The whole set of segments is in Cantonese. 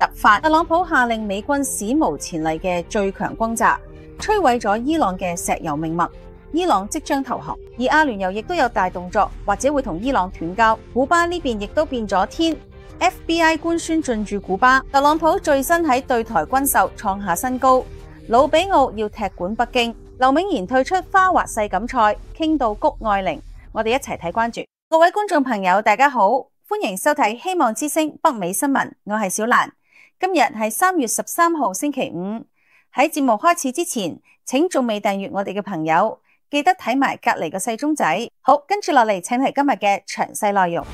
突發，特朗普下令美軍史無前例嘅最強轟炸，摧毀咗伊朗嘅石油命脈。伊朗即將投降，而阿聯酋亦都有大動作，或者會同伊朗斷交。古巴呢邊亦都變咗天 ，FBI 官宣進駐古巴。特朗普最新喺對台軍售創下新高，魯比奧要踢館北京，劉銘賢退出花滑世錦賽，傾到谷愛凌。我哋一齊睇關注。各位觀眾朋友，大家好，歡迎收睇希望之聲北美新聞，我係小蘭。今日係3月13號星期五。喺節目開始之前，請仲未訂閱我哋嘅朋友，記得睇埋隔籬個細鐘仔。好，跟住落嚟，請睇今日嘅詳細內容。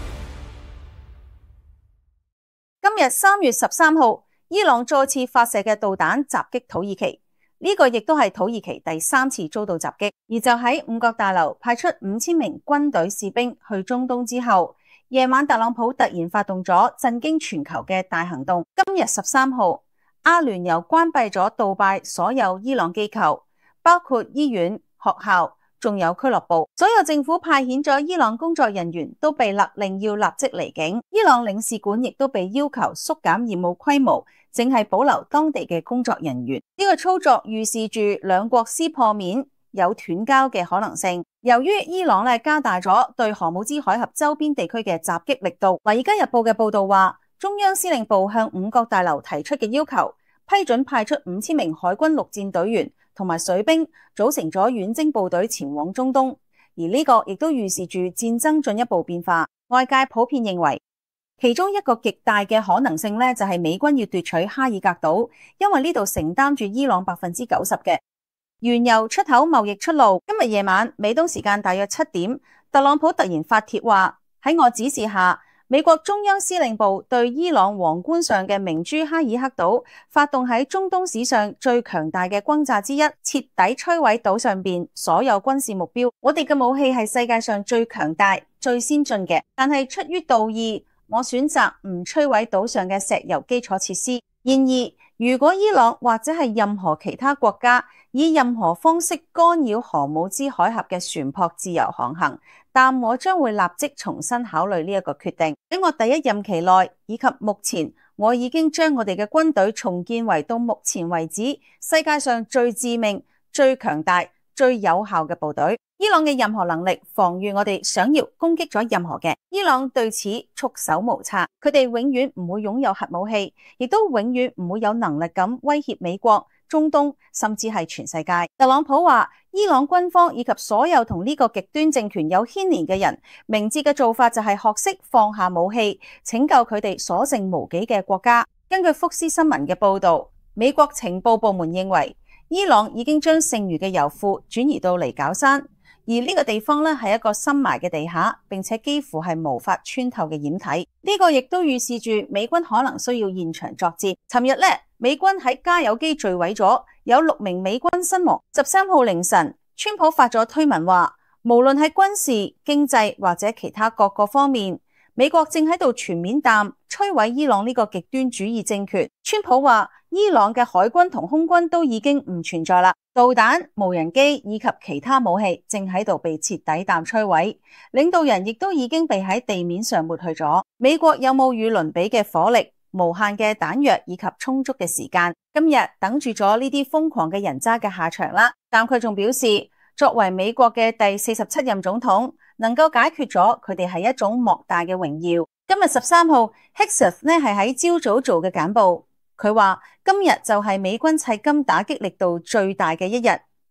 今日3月13號，伊朗再次發射嘅導彈襲擊土耳其，呢個亦都係土耳其第3次遭到襲擊。而就喺五角大樓派出5000名軍隊士兵去中東之後，夜晚特朗普突然發動咗震驚全球嘅大行動。今日13號，阿聯酋關閉咗杜拜所有伊朗機構，包括醫院、學校，仲有俱樂部。所有政府派遣咗伊朗工作人員都被勒令要立即離境。伊朗領事館亦都被要求縮減業務規模，淨係保留當地嘅工作人員。呢個操作預示住兩國撕破面，有斷交嘅可能性。由於伊朗加大咗對荷姆茲海峽周邊地區嘅襲擊力度，《華爾街日報》嘅報道話，中央司令部向五角大樓提出嘅要求，批准派出5000名海軍陸戰隊員同埋水兵，組成咗遠征部隊前往中東。而呢個亦都預示住戰爭進一步變化。外界普遍認為，其中一個極大嘅可能性就係美軍要奪取哈爾格島，因為呢度承擔住伊朗90%嘅原油出口貿易出路。今日夜晚美東時間大約7點，特朗普突然發帖話，喺我指示下，美國中央司令部對伊朗皇冠上嘅明珠哈爾克島發動喺中東史上最強大嘅轟炸之一，徹底摧毀島上邊所有軍事目標。我哋嘅武器係世界上最強大、最先進嘅，但係出於道義，我選擇唔摧毀島上嘅石油基礎設施。然而，如果伊朗或者係任何其他國家以任何方式干擾荷姆茲海峽嘅船舶自由航行，但我將會立即重新考慮呢一個決定。喺我第一任期內以及目前，我已經將我哋嘅軍隊重建為到目前為止世界上最致命、最強大、最有效嘅部隊。伊朗嘅任何能力防禦我哋想要攻擊咗任何嘅，伊朗對此束手無策。佢哋永遠唔會擁有核武器，亦都永遠唔會有能力咁威脅美國、中東，甚至係全世界。特朗普話，伊朗軍方以及所有同呢個極端政權有牽連嘅人，明智嘅做法就係學識放下武器，拯救佢哋所剩無幾嘅國家。根據福斯新聞嘅報道，美國情報部門認為，伊朗已經將剩餘嘅油庫轉移到尼絞山，而呢個地方係一個深埋嘅地下，並且幾乎係無法穿透嘅掩體。呢個亦都預示住美軍可能需要現場作戰。尋日美軍喺加油機墜毀咗，有6名美軍身亡。13號凌晨，川普發咗推文話，無論係軍事、經濟或者其他各個方面，美國正喺度全面摧毀伊朗呢個極端主義政權。川普話，伊朗嘅海軍同空軍都已經唔存在啦，導彈、無人機以及其他武器正喺度被徹底摧毀，領導人亦都已經被喺地面上抹去咗。美國有無與倫比嘅火力、無限嘅彈藥以及充足嘅時間，今日等住咗呢啲瘋狂嘅人渣嘅下場啦。但佢仲表示，作為美國嘅第47任總統，能夠解決咗佢哋係一種莫大嘅榮耀。今日13號 Hegseth 係喺朝早做嘅簡報，佢話今日就係美軍迄今打擊力度最大嘅一日，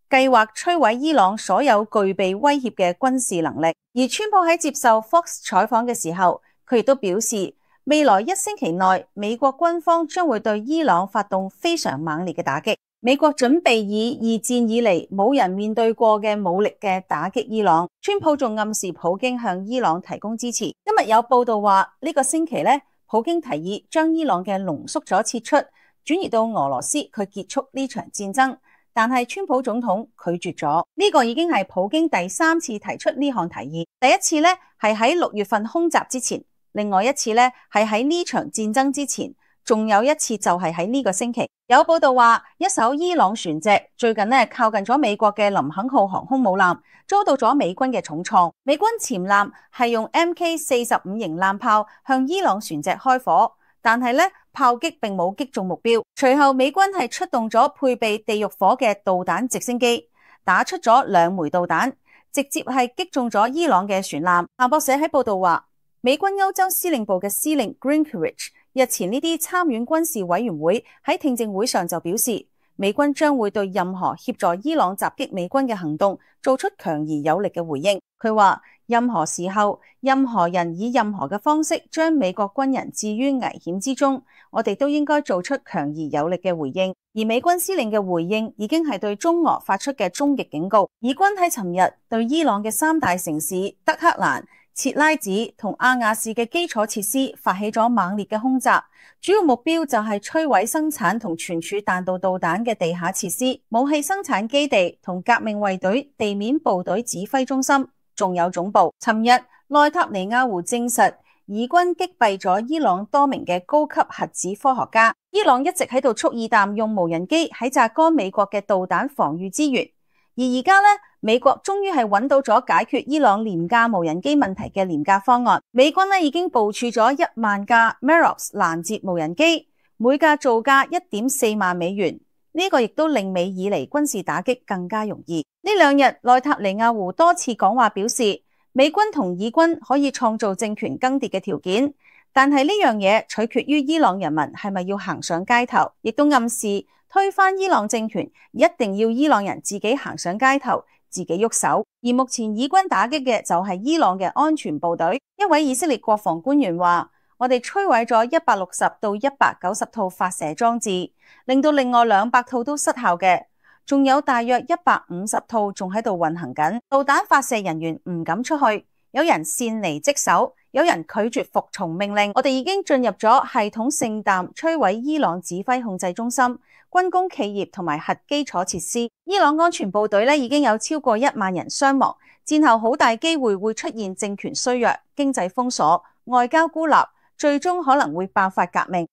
計劃摧毀伊朗所有具備威脅嘅軍事能力。而川普喺接受 Fox 採訪嘅時候，佢亦都表示，未來1星期內，美國軍方將會對伊朗發動非常猛烈嘅打擊。美國準備以2戰以嚟冇人面對過嘅武力嘅打擊伊朗。川普仲暗示普京向伊朗提供支持。今日有報道話，呢個星期普京提議將伊朗嘅濃縮咗撤出，轉移到俄羅斯，佢結束呢場戰爭。但係川普總統拒絕咗。呢個已經係普京第3次提出呢項提議。第一次係喺6月份空襲之前。另外一次係喺呢場戰爭之前，仲有一次就係喺呢個星期。有報道話，一艘伊朗船隻最近靠近咗美國嘅林肯號航空母艦，遭到咗美軍嘅重創。美軍潛艦係用 MK45 型艦炮向伊朗船隻開火，但係炮擊並冇擊中目標。隨後美軍係出動咗配備地獄火嘅導彈直升機，打出咗2枚導彈，直接係擊中咗伊朗嘅船艦。彭博社喺報道話，美軍歐洲司令部嘅司令 Greenrich 日前呢啲參院軍事委員會喺聽證會上就表示，美軍將會對任何協助伊朗襲擊美軍嘅行動做出強而有力嘅回應。佢話，任何時候，任何人以任何嘅方式將美國軍人置於危險之中，我哋都應該做出強而有力嘅回應。而美軍司令嘅回應已經係對中俄發出嘅終極警告。以軍喺尋日對伊朗嘅3大城市德黑蘭、切拉子同阿亞士嘅基礎設施發起咗猛烈嘅空襲，主要目標就係摧毀生產同存儲彈道導彈嘅地下設施、武器生產基地同革命衛隊地面部隊指揮中心，仲有總部。尋日內塔尼亞胡證實，以軍擊斃咗伊朗多名嘅高級核子科學家。伊朗一直喺度蓄意彈用無人機喺榨乾美國嘅導彈防禦資源，而而家美國終於係揾到咗解決伊朗廉價無人機問題嘅廉價方案。美軍已經部署咗1萬架 Merops 攔截無人機，每架造價1.4萬美元。呢個亦都令美以嚟軍事打擊更加容易。呢2日，內塔尼亞胡多次講話表示，美軍同以軍可以創造政權更迭嘅條件，但係呢樣嘢取決於伊朗人民係咪要行上街頭，亦都暗示推翻伊朗政權一定要伊朗人自己行上街頭，自己喐手。而目前以軍打擊嘅就係伊朗嘅安全部隊。一位以色列國防官員話，我哋摧毀咗160到190套發射裝置，令到另外200套都失效嘅，仲有大約150套仲喺度運行緊。導彈發射人員唔敢出去，有人擅離職守，有人拒絕服從命令。我哋已經進入咗系統性彈摧毀伊朗指揮控制中心、軍工企業同埋核基礎設施。伊朗安全部隊已經有超過1萬人傷亡，戰後好大機會會出現政權衰弱、經濟封鎖、外交孤立，最終可能會爆發革命。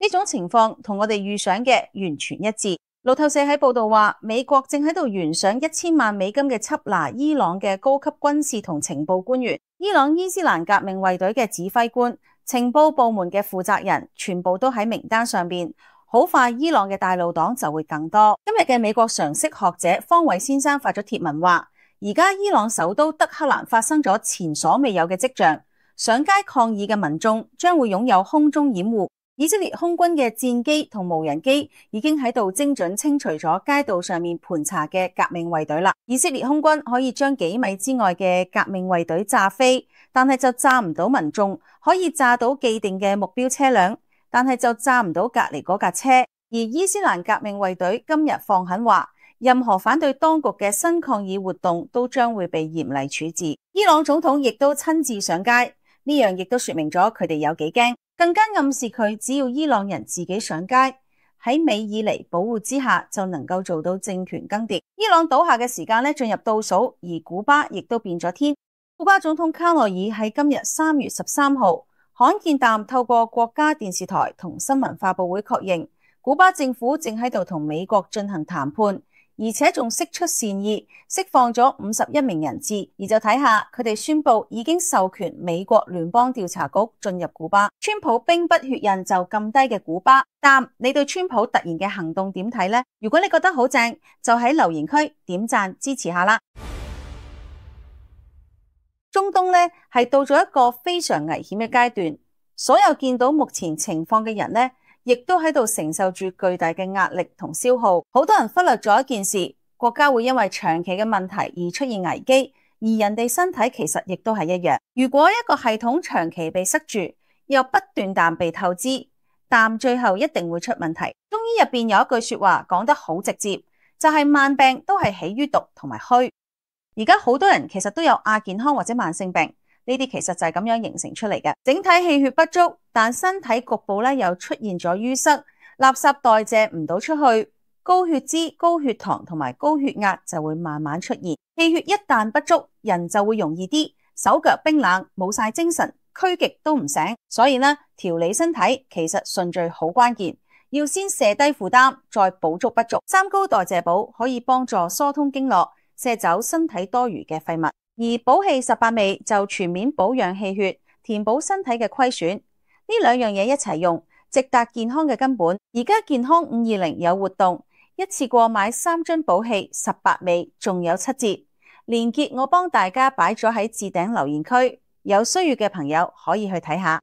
呢種情況同我哋預想嘅完全一致。路透社喺報道話，美國正喺度懸賞1000萬美金嘅緝拿伊朗嘅高級軍事同情報官員、伊朗伊斯蘭革命衛隊嘅指揮官、情報部門嘅負責人，全部都喺名單上邊。好快，伊朗嘅大路黨就會更多。今日嘅美國常識學者方偉先生發咗帖文話，而家伊朗首都德黑蘭發生咗前所未有嘅跡象，上街抗議嘅民眾將會擁有空中掩護。以色列空軍嘅戰機同無人機已經喺度精準清除咗街道上面盤查嘅革命衛隊啦。以色列空軍可以將幾米之外嘅革命衛隊炸飛，但係就炸唔到民眾；可以炸到既定嘅目標車輛，但係就炸唔到隔籬嗰架車。而伊斯蘭革命衛隊今日放狠話，任何反對當局嘅新抗議活動都將會被嚴厲處置。伊朗總統亦都親自上街，呢樣亦都說明咗佢哋有幾驚。更加暗示佢只要伊朗人自己上街，喺美以嚟保護之下，就能夠做到政權更迭。伊朗倒下嘅時間進入倒數，而古巴亦都變咗天。古巴總統卡內爾喺今日3月13號罕見地透過國家電視台同新聞發佈會確認，古巴政府正喺度同美國進行談判，而且仲釋出善意，釋放咗51名人質。而就睇下佢哋宣布已經授權美國聯邦調查局進入古巴。川普兵不血刃就咁低嘅古巴，但你對川普突然嘅行動點睇呢？如果你覺得好正，就喺留言區點讚支持下啦。中東係到咗一個非常危險嘅階段，所有見到目前情況嘅人亦都喺度承受住巨大嘅壓力同消耗。好多人忽略咗一件事，國家會因為長期嘅問題而出現危機，而人哋身體其實亦都係一樣。如果一個系統長期被塞住，又不斷地被透支，但最後一定會出問題。中醫入邊有一句說話講得好直接，就係萬病都係起於毒同埋虛。而家好多人其實都有亞健康或者慢性病，呢啲其實就係咁樣形成出嚟嘅。整體氣血不足，但身體局部又出現咗淤塞，垃圾代謝唔到出去，高血脂、高血糖同埋高血壓就會慢慢出現。氣血一旦不足，人就會容易啲手腳冰冷，冇晒精神，驅極都唔醒。所以調理身體其實順序好關鍵，要先卸低負擔，再補足不足。三高代謝寶可以幫助疏通經絡，卸走身體多餘嘅廢物，而補氣18味就全面保養氣血，填補身體嘅虧損。呢2樣嘢一齊用，直達健康嘅根本。而家健康520有活動，一次過買3樽補氣18味，仲有7折。連結我幫大家擺咗喺置頂留言區，有需要嘅朋友可以去睇下。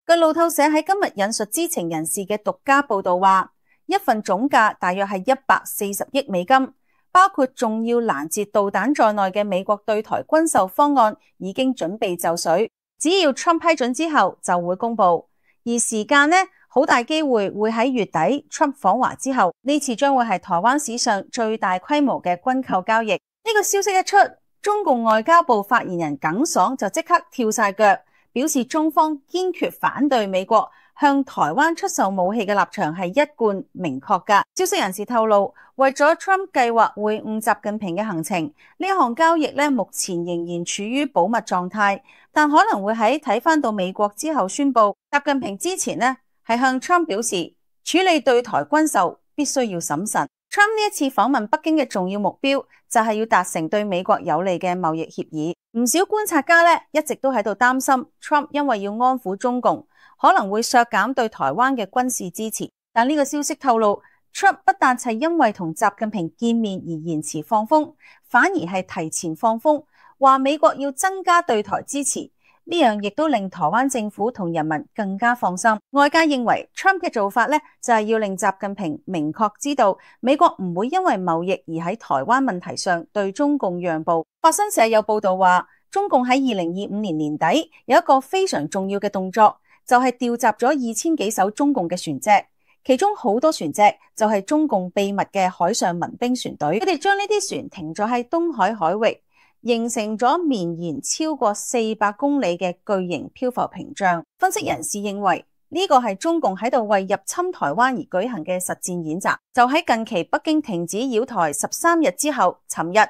據路透社喺今日引述知情人士嘅獨家報道話，一份總價大約係140億美金，包括重要攔截導彈在內嘅美國對台軍售方案已經準備就緒，只要 Trump 批准之後就會公布。而時間呢，好大機會喺月底 Trump 訪華之後，呢次將會係台灣史上最大規模嘅軍購交易。呢個消息一出，中共外交部發言人耿爽就即刻跳晒腳，表示中方堅決反對美國向台灣出售武器嘅立場係一貫明確㗎。消息人士透露，為咗 Trump 計劃會晤習近平嘅行程，呢項交易目前仍然處於保密狀態，但可能會喺睇返到美國之後宣布。習近平之前係向 Trump 表示，處理對台軍售必須要審慎。Trump 呢一次訪問北京嘅重要目標就係要達成對美國有利嘅貿易協議。唔少觀察家一直都喺度擔心 Trump 因為要安撫中共，可能會削減對台灣嘅軍事支持。但呢個消息透露， Trump 不但係因為同習近平見面而延遲放風，反而係提前放風，話美國要增加對台支持。呢樣亦都令台灣政府同人民更加放心。外界認為 Trump 嘅做法就係要令習近平明確知道美國唔會因為貿易而喺台灣問題上對中共讓步。法新社有報道話，中共喺2025年年底有一個非常重要嘅動作，就係調集咗2000幾艘中共嘅船隻，其中好多船隻就係中共秘密嘅海上民兵船隊。佢哋將呢啲船停咗喺東海海域，形成咗綿延超過400公里嘅巨型漂浮屏障。分析人士認為，呢個係中共喺度為入侵台灣而舉行嘅實戰演習。就喺近期北京停止擾台13日之後，尋日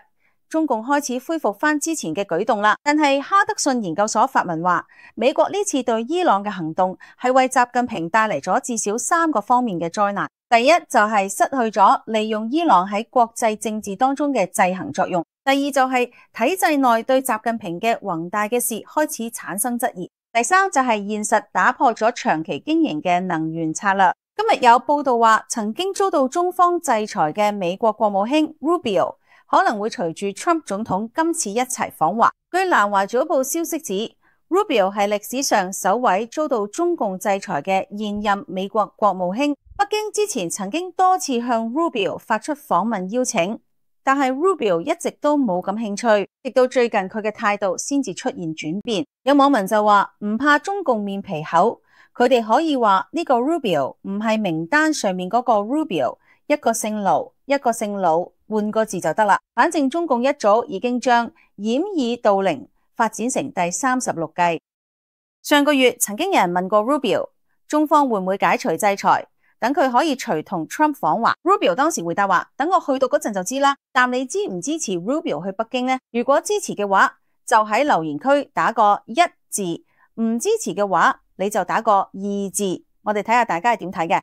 中共開始恢復翻之前嘅舉動啦。但係哈德遜研究所發文話，美國呢次對伊朗嘅行動係為習近平帶嚟咗至少3個方面嘅災難。第一就係失去咗利用伊朗喺國際政治當中嘅制衡作用。第二就係體制內對習近平嘅宏大嘅事開始產生質疑。第三就係現實打破咗長期經營嘅能源策略。今日有報道話，曾經遭到中方制裁嘅美國國務卿 Rubio 可能會隨住 Trump 總統今次一齊訪華。據南華早報消息指， Rubio 係歷史上首位遭到中共制裁嘅現任美國國務卿。北京之前曾經多次向 Rubio 發出訪問邀請，但係 Rubio 一直都冇感興趣，直到最近佢嘅態度先至出現轉變。有網民就話唔怕中共面皮厚，佢哋可以話呢個 Rubio 唔係名單上面嗰個 Rubio， 一個姓盧，一個姓魯，換個字就得啦。反正中共一早已經將掩耳盜鈴發展成第36計。上個月曾經有人問過 Rubio， 中方會唔會解除制裁，等佢可以隨同 Trump 訪華。 Rubio 當時回答話，等我去到嗰陣就知啦。但你支唔支持 Rubio 去北京呢？如果支持嘅話，就喺留言區打個1字，唔支持嘅話，你就打個2字。我哋睇下大家係點睇嘅。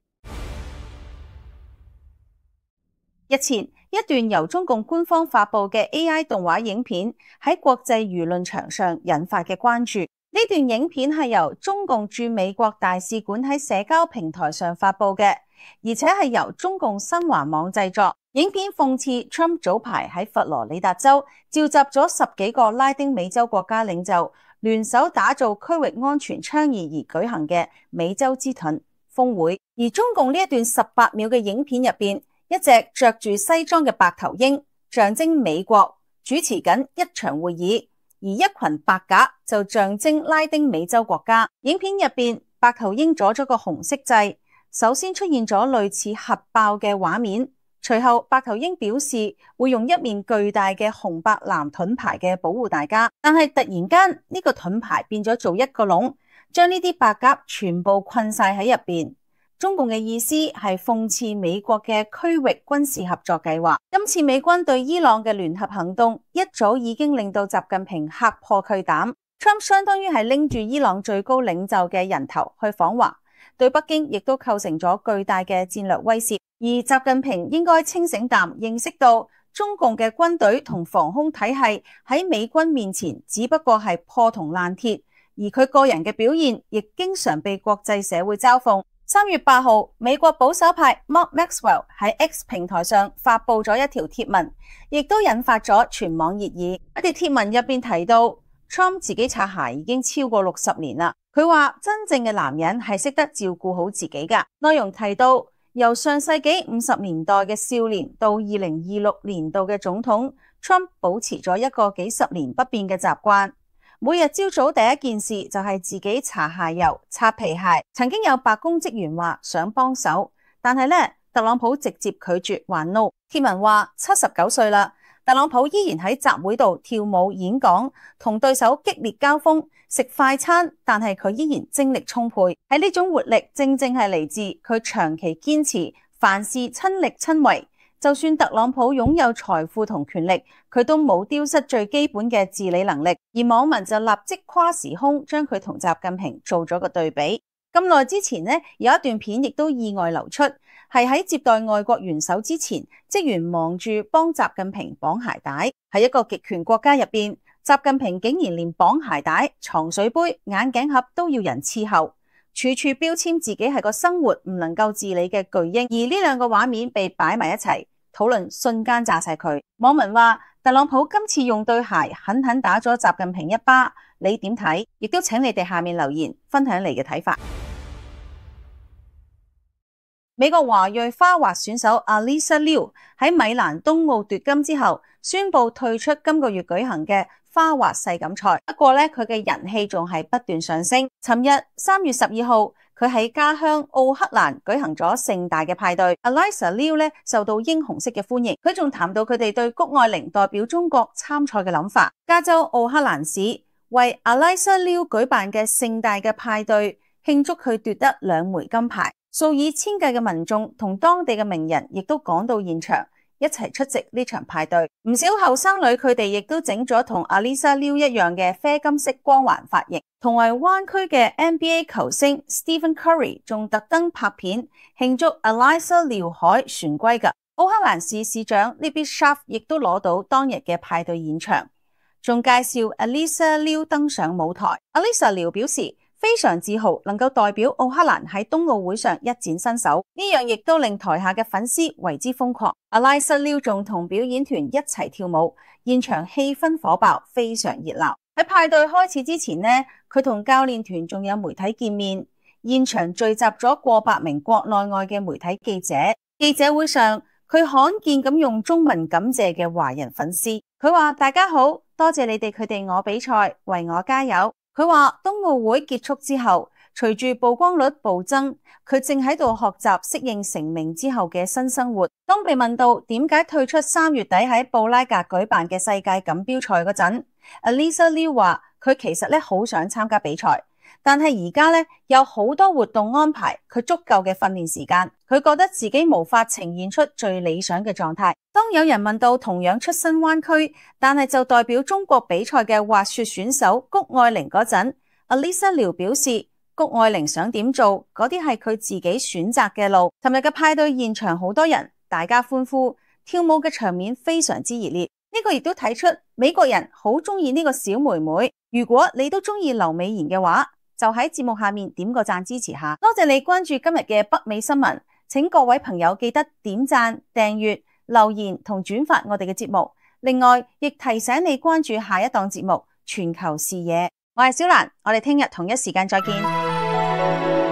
日前，一段由中共官方發布嘅 AI 動畫影片喺國際輿論場上引發嘅關注。呢段影片係由中共駐美國大使館喺社交平台上發布嘅，而且係由中共新華網製作。影片諷刺 Trump 早排喺佛羅里達州召集咗10幾個拉丁美洲國家領袖聯手打造區域安全倡議而舉行嘅美洲之盾峰會。而中共呢一段18秒嘅影片入邊，一隻着住西裝嘅白頭鷹象徵美國主持緊一場會議，而一群白鴿就象徵拉丁美洲國家。影片入邊，白頭鷹左咗個紅色掣，首先出現咗類似核爆嘅畫面，隨後白頭鷹表示會用一面巨大嘅紅白藍盾牌嘅保護大家，但係突然間呢個盾牌變咗做一個籠，將呢啲白鴿全部困晒喺入邊。中共嘅意思係諷刺美國嘅區域軍事合作計劃。今次美軍對伊朗嘅聯合行動一早已經令到習近平嚇破佢膽。Trump 相當於係拎住伊朗最高領袖嘅人頭去訪華，對北京亦都構成咗巨大嘅戰略威懾。而習近平應該清醒淡，認識到中共嘅軍隊同防空體系喺美軍面前只不過係破銅爛鐵，而佢個人嘅表現亦經常被國際社會嘲諷。3月8號，美國保守派 Mark Maxwell 喺 X 平台上發布咗一條貼文，亦都引發咗全網熱議。一條貼文入邊提到 Trump 自己擦鞋已經超過60年啦。佢話真正嘅男人係識得照顧好自己㗎。內容提到由上世紀50年代嘅少年到2026年度嘅總統 Trump 保持咗一個幾十年不變嘅習慣。每日朝早第一件事就係自己搽鞋油、擦皮鞋。曾經有白宮職員話想幫手，但係咧特朗普直接拒絕話 no。貼文話79歲啦，特朗普依然喺集會度跳舞演講，同對手激烈交鋒，食快餐，但係佢依然精力充沛。喺呢種活力正正係嚟自佢長期堅持凡事親力親為。就算特朗普擁有財富同權力，佢都冇丟失最基本嘅治理能力。而網民就立即跨時空將佢同習近平做咗個對比。咁耐之前呢，有一段片亦都意外流出，係喺接待外國元首之前，職員忙住幫習近平綁鞋帶。喺一個極權國家入邊，習近平竟然連綁鞋帶、藏水杯、眼鏡盒都要人伺候，處處標籤自己係個生活唔能夠自理嘅巨嬰。而呢兩個畫面被擺埋一齊，討論瞬間炸晒佢。網民話特朗普今次用對鞋狠狠打咗習近平一巴，你點睇？亦都請你哋下面留言分享你嘅睇法。美國華裔花滑選手 Alysa Liu 喺米蘭冬奧奪金之後，宣布退出今個月舉行嘅花滑世錦賽。不過咧，佢嘅人氣仲係不斷上升。尋日3月12號，佢喺家鄉奧克蘭舉行咗盛大嘅派對。Alysa Liu 咧受到英雄式嘅歡迎。佢仲談到佢哋對谷愛凌代表中國參賽嘅諗法。加州奧克蘭市為 Alysa Liu 舉辦嘅盛大嘅派對，慶祝佢奪得2枚金牌。數以千計嘅民眾同當地嘅名人亦都趕到現場，一齊出席呢場派對。唔少後生女佢哋亦都整咗同 Alysa Liu 一樣嘅啡金色光環髮型。同為灣區嘅 NBA 球星 Stephen Curry 仲特登拍片慶祝 Alysa Liu 海旋歸㗎。奧克蘭市市長 Libby Schaaf 亦都攞到當日嘅派對現場，仲介紹 Alysa Liu 登上舞台。Alysa Liu 表示非常自豪能夠代表奧克蘭喺冬奧會上一展身手，呢樣亦都令台下嘅粉絲為之瘋狂。Alysa Liu 仲同表演團一齊跳舞，現場氣氛火爆，非常熱鬧。喺派對開始之前呢，佢同教練團仲有媒體見面，現場聚集咗過百名國內外嘅媒體記者。記者會上，佢罕見咁用中文感謝嘅華人粉絲。佢話：大家好，多謝你哋佢哋我比賽，為我加油。佢話冬奧會結束之後，隨住曝光率暴增，佢正喺度學習適應成名之後嘅新生活。當被問到點解退出3月底喺布拉格舉辦嘅世界錦標賽嗰陣，Alysa Liu 話佢其實好想參加比賽，但係而家有好多活動安排佢足夠嘅訓練時間，佢覺得自己無法呈現出最理想嘅狀態。當有人問到同樣出身灣區，但係就代表中國比賽嘅滑雪選手谷愛凌嗰陣，Alysa Liu 表示谷愛凌想點做，嗰啲係佢自己選擇嘅路。尋日嘅派對現場好多人，大家歡呼，跳舞嘅場面非常之熱烈。呢個亦都睇出美國人好中意呢個小妹妹。如果你都中意劉美妍嘅話，就喺節目下面點個讚支持下。多謝你關注今日嘅北美新聞，請各位朋友記得點讚、訂閱、留言同轉發我哋嘅節目。另外，亦提醒你關注下一檔節目《全球視野》。我係小蘭，我哋聽日同一時間再見。